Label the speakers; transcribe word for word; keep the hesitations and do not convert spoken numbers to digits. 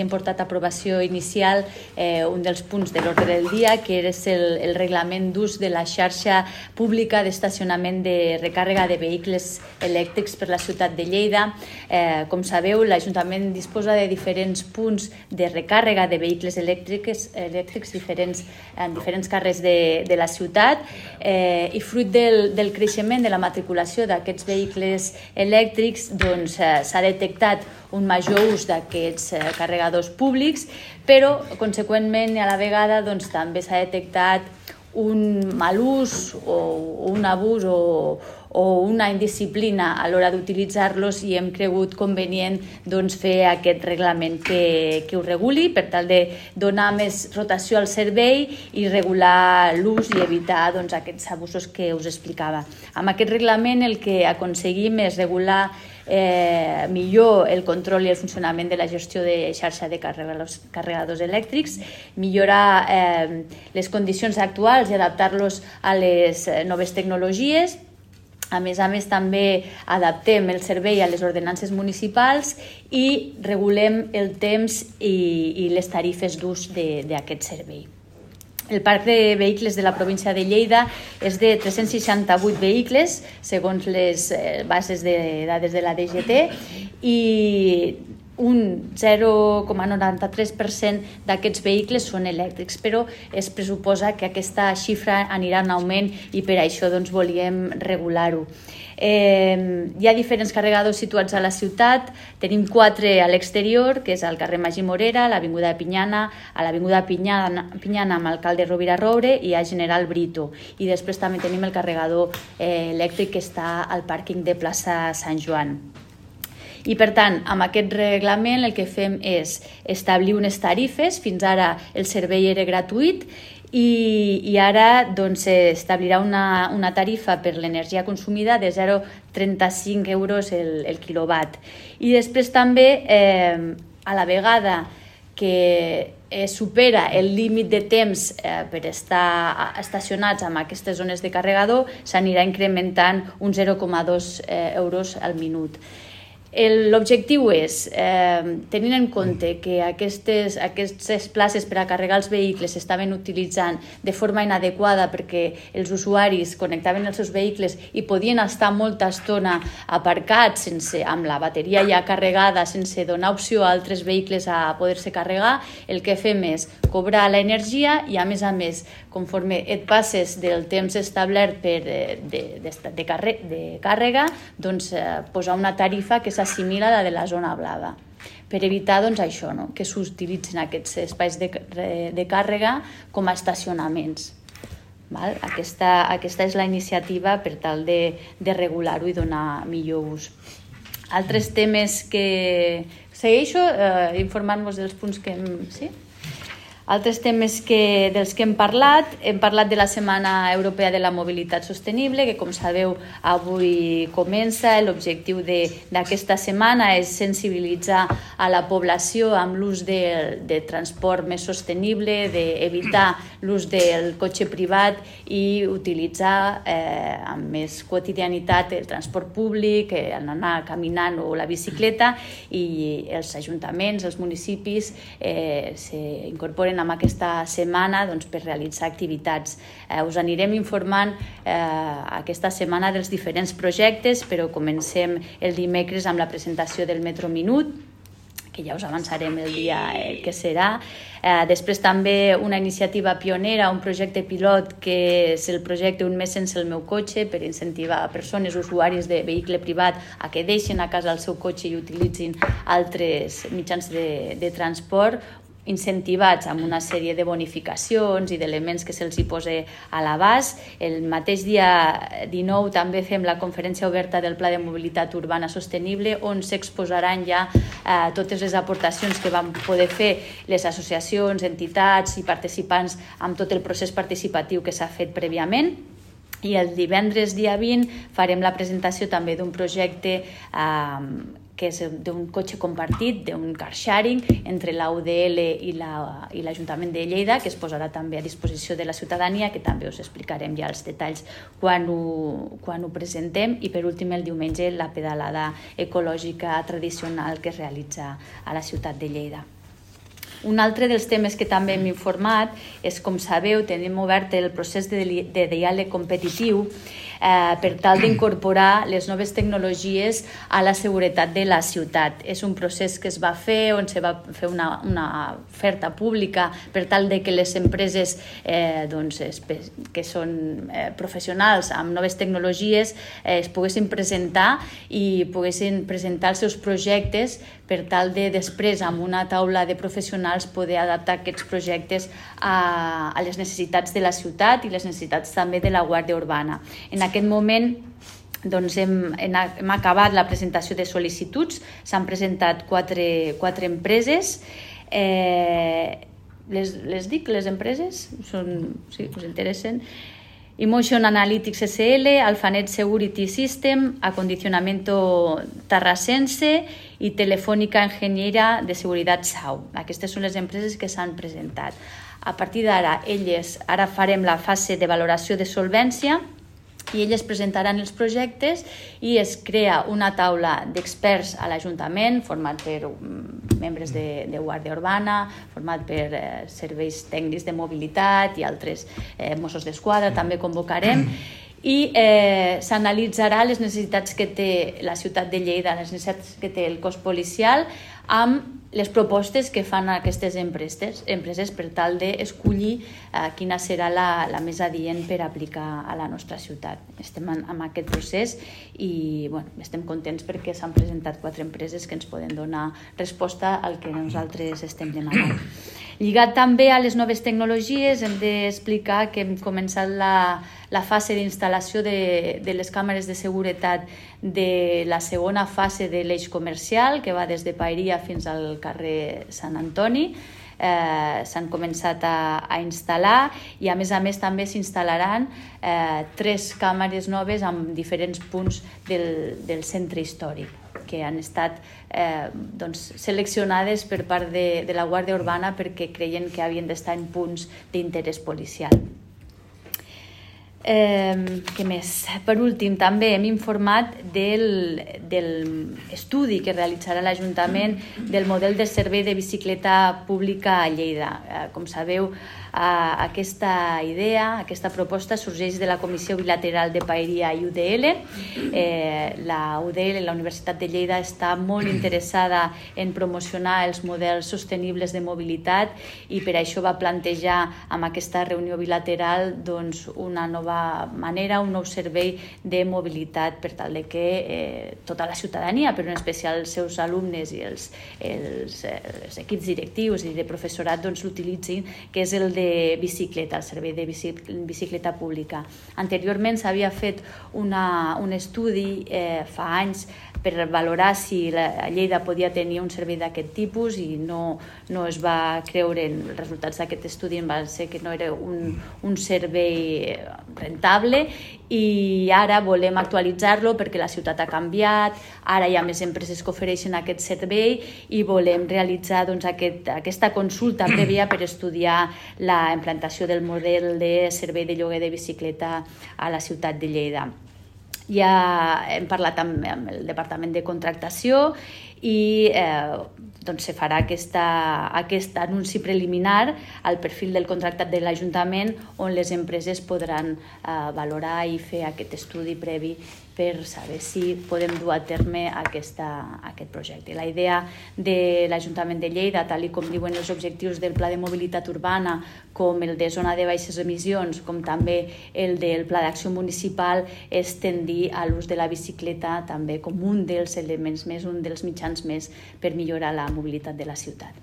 Speaker 1: Hem portat a aprovació inicial eh, un dels punts de l'ordre del dia, que és el, el reglament d'ús de la xarxa pública d'estacionament de recàrrega de vehicles elèctrics per la ciutat de Lleida. Eh, com sabeu, l'Ajuntament disposa de diferents punts de recàrrega de vehicles elèctrics, elèctrics diferents, en diferents carrers de, de la ciutat eh, i fruit del, del creixement de la matriculació d'aquests vehicles elèctrics doncs, eh, s'ha detectat un major ús d'aquests eh, carregadors públics, però conseqüentment a la vegada doncs, també s'ha detectat un mal ús o un abús o, o una indisciplina a l'hora d'utilitzar-los i hem cregut convenient doncs, fer aquest reglament que, que ho reguli per tal de donar més rotació al servei i regular l'ús i evitar doncs, aquests abusos que us explicava. Amb aquest reglament el que aconseguim és regular Eh, millor el control i el funcionament de la gestió de xarxa de carregadors, carregadors elèctrics, millorar eh, les condicions actuals i adaptar-los a les noves tecnologies. A més a més, també adaptem el servei a les ordenances municipals i regulem el temps i, i les tarifes d'ús d'aquest servei. El parc de vehicles de la província de Lleida és de tres-cents seixanta-vuit vehicles, segons les bases de dades de la D G T, i un zero coma noranta-tres per cent d'aquests vehicles són elèctrics, però es pressuposa que aquesta xifra anirà en augment i per això doncs, volíem regular-ho. Eh, hi ha diferents carregadors situats a la ciutat, tenim quatre a l'exterior, que és al carrer Magí Morera, a l'Avinguda de Pinyana, a l'Avinguda Pinyana, Pinyana amb l'alcalde Rovira Roure i a General Brito. I després també tenim el carregador eh, elèctric que està al pàrquing de plaça Sant Joan. I per tant, amb aquest reglament el que fem és establir unes tarifes, fins ara el servei era gratuït, i, i ara doncs, establirà una, una tarifa per l'energia consumida de zero coma trenta-cinc euros el, el quilowatt. I després també, eh, a la vegada que eh, supera el límit de temps eh, per estar estacionats en aquestes zones de carregador, s'anirà incrementant un zero coma dos eh, euros al minut. L'objectiu és, eh, tenint en compte que aquestes, aquestes places per a carregar els vehicles s'estaven utilitzant de forma inadequada perquè els usuaris connectaven els seus vehicles i podien estar molta estona aparcats sense, amb la bateria ja carregada, sense donar opció a altres vehicles a poder-se carregar, el que fem és cobrar l'energia i, a més a més, conforme et passes del temps establert per, de, de, de, de, carre, de càrrega, doncs, eh, posar una tarifa que s'assimila a la de la zona blava, per evitar doncs, això, no? Que s'utilitzin aquests espais de, de càrrega com a estacionaments. Val? Aquesta, aquesta és la iniciativa per tal de, de regular-ho i donar millor ús. Altres temes que... Segueixo eh, informant-vos dels punts que hem... Sí? Altres temes que, dels que hem parlat, hem parlat de la Setmana Europea de la Mobilitat Sostenible, que com sabeu avui comença. L'objectiu d'aquesta setmana és sensibilitzar a la població amb l'ús de, de transport més sostenible, d'evitar l'ús del cotxe privat i utilitzar eh, amb més quotidianitat el transport públic, eh, anar caminant o la bicicleta, i els ajuntaments, els municipis eh, s'incorporen amb aquesta setmana doncs, per realitzar activitats. Eh, us anirem informant eh, aquesta setmana dels diferents projectes, però comencem el dimecres amb la presentació del Metro Minut, que ja us avançarem el dia eh, que serà. Eh, després també una iniciativa pionera, un projecte pilot que és el projecte Un mes sense el meu cotxe, per incentivar persones, usuaris de vehicle privat, a que deixin a casa el seu cotxe i utilitzin altres mitjans de, de transport, incentivats amb una sèrie de bonificacions i d'elements que se'ls hi posa a l'abast. El mateix dia dinou també fem la conferència oberta del Pla de Mobilitat Urbana Sostenible, on s'exposaran ja eh, totes les aportacions que van poder fer les associacions, entitats i participants amb tot el procés participatiu que s'ha fet prèviament. I el divendres dia vint farem la presentació també d'un projecte eh, que és d'un cotxe compartit, d'un car sharing entre la U D L i l'Ajuntament de Lleida, que es posarà també a disposició de la ciutadania, que també us explicarem ja els detalls quan ho, quan ho presentem. I per últim, el diumenge, la pedalada ecològica tradicional que es realitza a la ciutat de Lleida. Un altre dels temes que també hem informat és, com sabeu, tenim obert el procés de, de diàleg competitiu eh, per tal d'incorporar les noves tecnologies a la seguretat de la ciutat. És un procés que es va fer on se va fer una, una oferta pública per tal de que les empreses eh, doncs, que són eh, professionals amb noves tecnologies eh, es poguessin presentar i poguessin presentar els seus projectes per tal de després amb una taula de professionals poder adaptar aquests projectes a, a les necessitats de la ciutat i les necessitats també de la Guàrdia Urbana. En aquest moment doncs hem, hem acabat la presentació de sol·licituds, s'han presentat quatre, quatre empreses. Eh, les, les dic, les empreses? Són, sí, us interessen? Emotion Analytics S L, Alphanet Security System, Acondicionamiento Tarrasense i Telefònica Enginyera de Seguretat Sau. Aquestes són les empreses que s'han presentat. A partir d'ara, elles, ara farem la fase de valoració de solvència i elles presentaran els projectes i es crea una taula d'experts a l'Ajuntament, format per membres de, de Guàrdia Urbana, format per eh, serveis tècnics de mobilitat i altres eh, Mossos d'Esquadra, també convocarem, i eh, s'analitzarà les necessitats que té la ciutat de Lleida, les necessitats que té el cos policial, amb les propostes que fan aquestes empreses, empreses per tal d'escollir eh, quina serà la, la més adient per aplicar a la nostra ciutat. Estem en, en aquest procés i bueno, estem contents perquè s'han presentat quatre empreses que ens poden donar resposta al que nosaltres estem demanant. Lligat també a les noves tecnologies, hem d'explicar que hem començat la, la fase d'instal·lació de, de les càmeres de seguretat de la segona fase de l'eix comercial, que va des de Paeria fins al carrer Sant Antoni. Eh, s'han començat a, a instal·lar i a més a més també s'instal·laran eh, tres càmeres noves en diferents punts del, del centre històric que han estat eh, doncs, seleccionades per part de, de la Guàrdia Urbana perquè creien que havien d'estar en punts d'interès policial. Eh, què més? Per últim, també hem informat del, del estudi que realitzarà l'Ajuntament del model de servei de bicicleta pública a Lleida. Eh, com sabeu, eh, aquesta idea, aquesta proposta sorgeix de la Comissió Bilateral de Paeria i U D L. Eh, la U D L, la Universitat de Lleida, està molt interessada en promocionar els models sostenibles de mobilitat i per això va plantejar amb aquesta reunió bilateral doncs, una nova manera, un nou servei de mobilitat per tal de que eh, tota la ciutadania, però en especial els seus alumnes i els, els, els equips directius i de professorat doncs, l'utilitzin, que és el de bicicleta, el servei de bicicleta pública. Anteriorment s'havia fet una, un estudi eh, fa anys per valorar si la Lleida podia tenir un servei d'aquest tipus i no, no es va creure en els resultats d'aquest estudi, va ser que no era un, un servei rentable i ara volem actualitzar-lo perquè la ciutat ha canviat, ara hi ha més empreses que ofereixen aquest servei i volem realitzar doncs, aquest, aquesta consulta prèvia per estudiar la implantació del model de servei de lloguer de bicicleta a la ciutat de Lleida. Ja hem parlat amb, amb el Departament de Contractació i eh, doncs se farà aquesta, aquest anunci preliminar al perfil del contractat de l'Ajuntament on les empreses podran eh, valorar i fer aquest estudi previ per saber si podem dur a terme aquesta, aquest projecte. La idea de l'Ajuntament de Lleida, tal com diuen els objectius del Pla de Mobilitat Urbana, com el de zona de baixes emissions, com també el del Pla d'Acció Municipal, és tendir a l'ús de la bicicleta també com un dels elements més, un dels mitjans més per millorar la mobilitat de la ciutat.